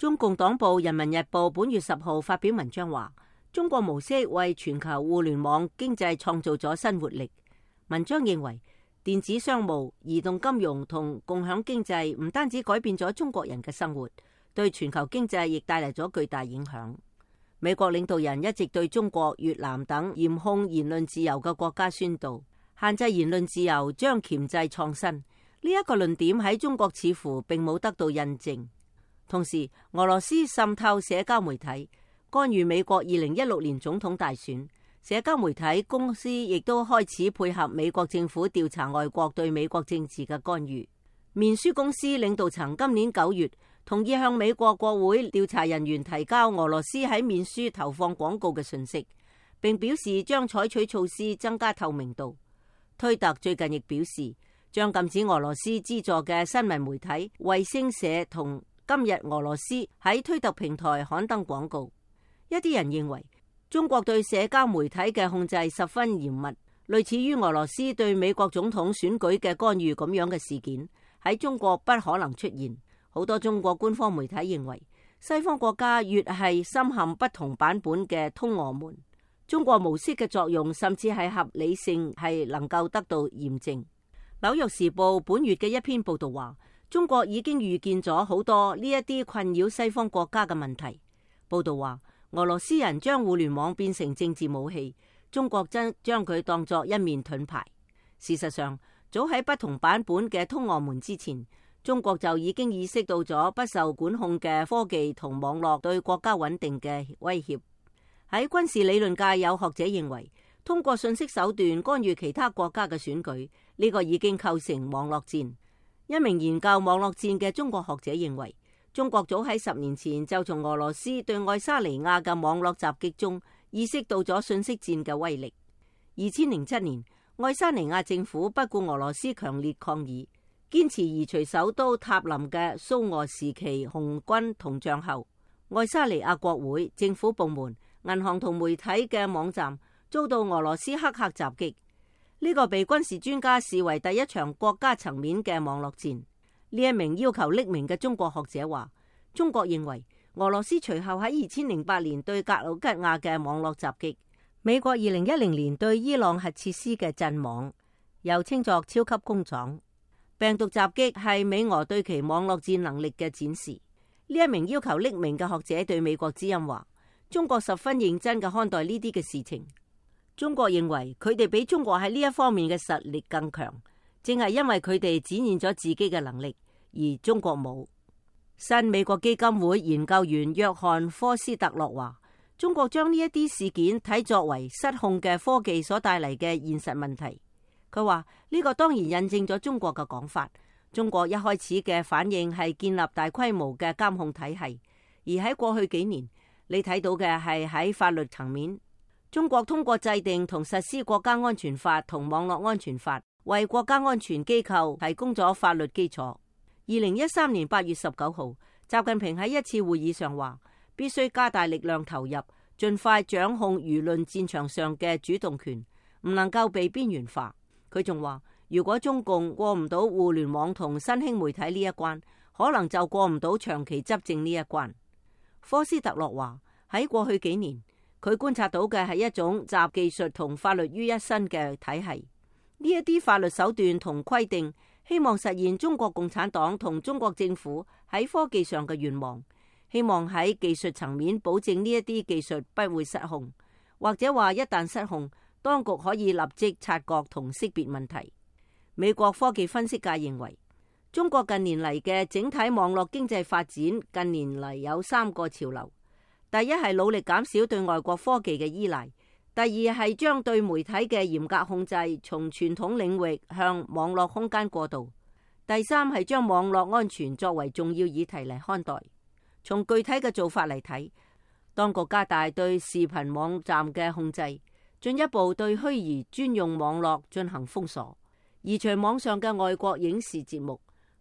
中共黨報《人民日報》本月10號發表文章話，中國模式為全球互聯網經濟創造咗新活力。文章認為，電子商務、移動金融同共享經濟唔單止改變咗中國人嘅生活，對全球經濟亦帶嚟咗巨大影響。美國領導人一直對中國、越南等嚴控言論自由嘅國家宣導，限制言論自由將鉗制創新。呢一個論點喺中國似乎並冇得到印證。同時，俄羅斯滲透社交媒體，干預美國2016年總統大選。社交媒體公司亦都開始配合美國政府調查外國對美國政治嘅干預。面書公司領導層今年9月同意向美國國會調查人員提交俄羅斯喺面書投放廣告嘅信息，並表示將採取措施增加透明度。推特最近亦表示將禁止俄羅斯資助嘅新聞媒體衛星社同今日俄羅斯喺推特平台刊登廣告。一啲人認為中國對社交媒體嘅控制十分嚴密，類似於俄羅斯對美國總統選舉嘅干預咁樣嘅事件喺中國不可能出現。好多中國官方媒體認為西方國家越係深陷不同版本嘅通俄門，中國模式嘅作用甚至係合理性係能夠得到驗證。紐約時報本月嘅一篇報道話，中國已經預見咗好多呢一啲困擾西方國家嘅問題。報道話，俄羅斯人將互聯網變成政治武器，中國將佢當作一面盾牌。事實上，早喺不同版本嘅通俄門之前，中國就已經意識到咗不受管控嘅科技同網絡對國家穩定嘅威脅。喺軍事理論界，有學者認為，通過信息手段干預其他國家嘅選舉，呢個已經構成網絡戰。一名研究網絡戰嘅中國學者認為，中國早喺10年前就從俄羅斯對愛沙尼亞嘅網絡襲擊中意識到咗信息戰嘅威力。2007年，愛沙尼亞政府不顧俄羅斯強烈抗議，堅持移除首都塔林嘅蘇俄時期紅軍銅像後，愛沙尼亞國會、政府部門、銀行同媒體嘅網站遭到俄羅斯黑客襲擊。呢個被軍事專家視為第一場國家層面嘅網絡戰。呢一名要求匿名嘅中國學者話，中國認為俄羅斯隨後喺2008年對格魯吉亞嘅網絡襲擊，美國2010年對伊朗核設施嘅震網，又稱作超級工廠。病毒襲擊係美俄對其網絡戰能力嘅展示。呢一名要求匿名嘅學者對美國之音話，中國十分認真嘅看待呢啲嘅事情。中國認為佢哋比中國喺呢一方面嘅實力更強，正係因為佢哋展現咗自己嘅能力，而中國冇。新美國基金會研究員約翰科斯特洛話，中國將呢一啲事件睇作為失控嘅科技所帶嚟嘅現實問題。佢話呢個當然印證咗中國嘅講法。中國一開始嘅反應係建立大規模嘅監控體系，而喺過去幾年，你睇到嘅係喺法律層面。中國通過制定同實施國家安全法同網絡安全法，為國家安全機構提供咗法律基礎。2013年8月19號，習近平喺一次會議上話，必須加大力量投入，盡快掌控輿論戰場上嘅主動權，唔能夠被邊緣化。佢仲話，如果中共過唔到互聯網同新興媒體呢一關，可能就過唔到長期執政呢一關。科斯特洛話，喺過去幾年，佢觀察到嘅係一種集技術同法律於一身嘅體系。呢一啲法律手段同規定，希望實現中國共產黨同中國政府喺科技上嘅願望，希望喺技術層面保證呢一啲技術不會失控，或者話一旦失控，當局可以立即察覺同識別問題。美國科技分析界認為，中國近年嚟嘅整體網絡經濟發展近年嚟有3個潮流。第一係努力減少對外國科技嘅依賴，第二係將對媒體嘅嚴格控制從傳統領域向網絡空間過渡，第三係將網絡安全作為重要議題嚟看待。從具體嘅做法嚟睇，當局加大對視頻網站嘅控制，進一步對虛擬專用網絡進行封鎖，移除網上嘅外國影視節目，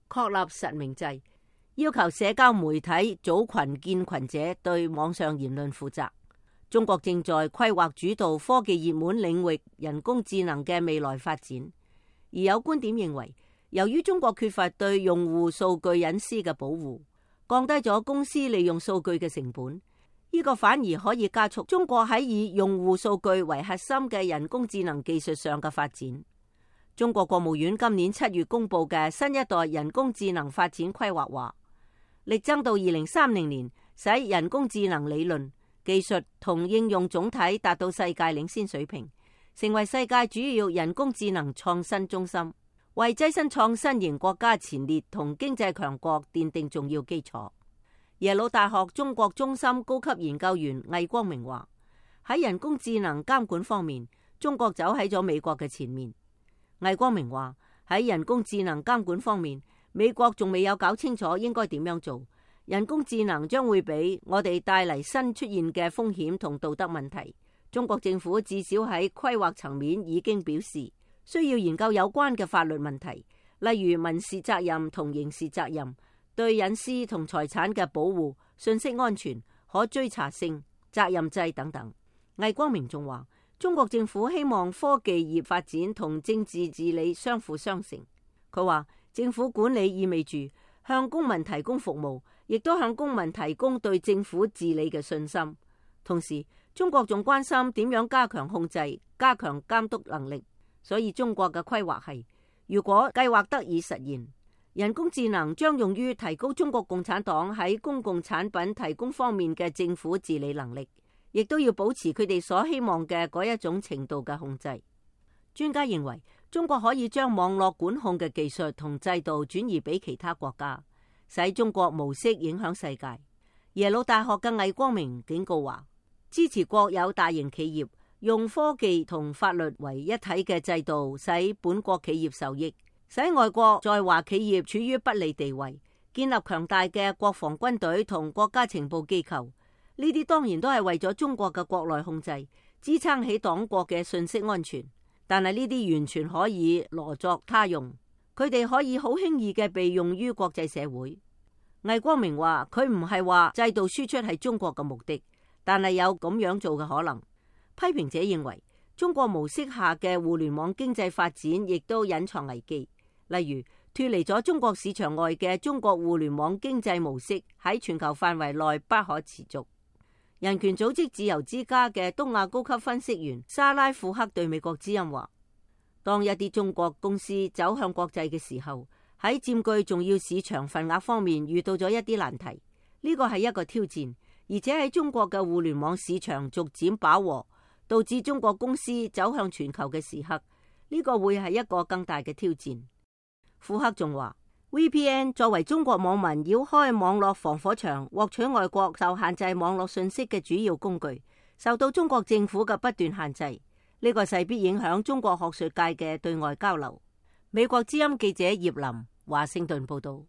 確立實名制，要求社交媒體組群建群者對網上言論負責。中國正在規劃主導科技熱門領域人工智能嘅未來發展，而有觀點認為，由於中國缺乏對用戶數據隱私嘅保護，降低咗公司利用數據嘅成本。呢個反而可以加速中國喺以用戶數據為核心嘅人工智能技術上嘅發展。中國國務院今年7月公布嘅新一代人工智能發展規劃話，力爭到2030年，使人工智能理論、技術同應用總體達到世界領先水平，成為世界主要人工智能創新中心，為躋身創新型國家前列同經濟強國奠定重要基礎。耶魯大學中國中心高級研究員魏光明話，喺人工智能監管方面，中國走喺咗美國嘅前面。魏光明話，喺人工智能監管方面，美國仲未有搞清楚應該點樣做。人工智能將會俾我哋帶嚟新出現嘅風險同道德問題。中國政府至少喺規劃層面已經表示，需要研究有關嘅法律問題，例如民事責任同刑事責任、對隱私同財產嘅保護、信息安全、可追查性、責任制等等。魏光明仲話，中國政府希望科技業發展同政治治理相輔相成。佢話，政府管理意味住向公民提供服務，亦都向公民提供對政府治理嘅信心。同時，中國仲關心點樣加強控制、加強監督能力。所以中國嘅規劃係，如果計劃得以實現，人工智能將用於提高中國共產黨喺公共產品提供方面嘅政府治理能力，亦都要保持佢哋所希望嘅嗰一種程度嘅控制。專家認為，中國可以將網絡管控嘅技術同制度轉移俾其他國家，使中國模式影響世界。耶魯大學嘅魏光明警告話，支持國有大型企業用科技同法律為一體嘅制度，使本國企業受益，使外國在華企業處於不利地位，建立強大嘅國防軍隊同國家情報機構。呢啲當然都係為咗中國嘅國內控制，支撐起黨國嘅信息安全。但係呢啲完全可以羅作他用，佢哋可以好輕易嘅被用於國際社會。魏光明話，佢唔係話制度輸出係中國嘅目的，但係有咁樣做嘅可能。批評者認為，中國模式下嘅互聯網經濟發展亦都隱藏危機，例如脫離咗中國市場外嘅中國互聯網經濟模式喺全球範圍內不可持續。人權組織自由之家嘅東亞高級分析員沙拉庫克對美國之音話，當一啲中國公司走向國際嘅時候，喺佔據重要市場份額方面遇到咗一啲難題，呢個係一個挑戰，而且喺中國嘅互聯網市場逐漸飽和，導致中國公司走向全球嘅時刻，呢個會係一個更大嘅挑戰。庫克仲話，VPN 作為中國網民繞開網絡防火牆獲取外國受限制網絡信息嘅主要工具，受到中國政府嘅不斷限制，呢個勢必影響中國學術界嘅對外交流。美國之音記者葉林華盛頓報道。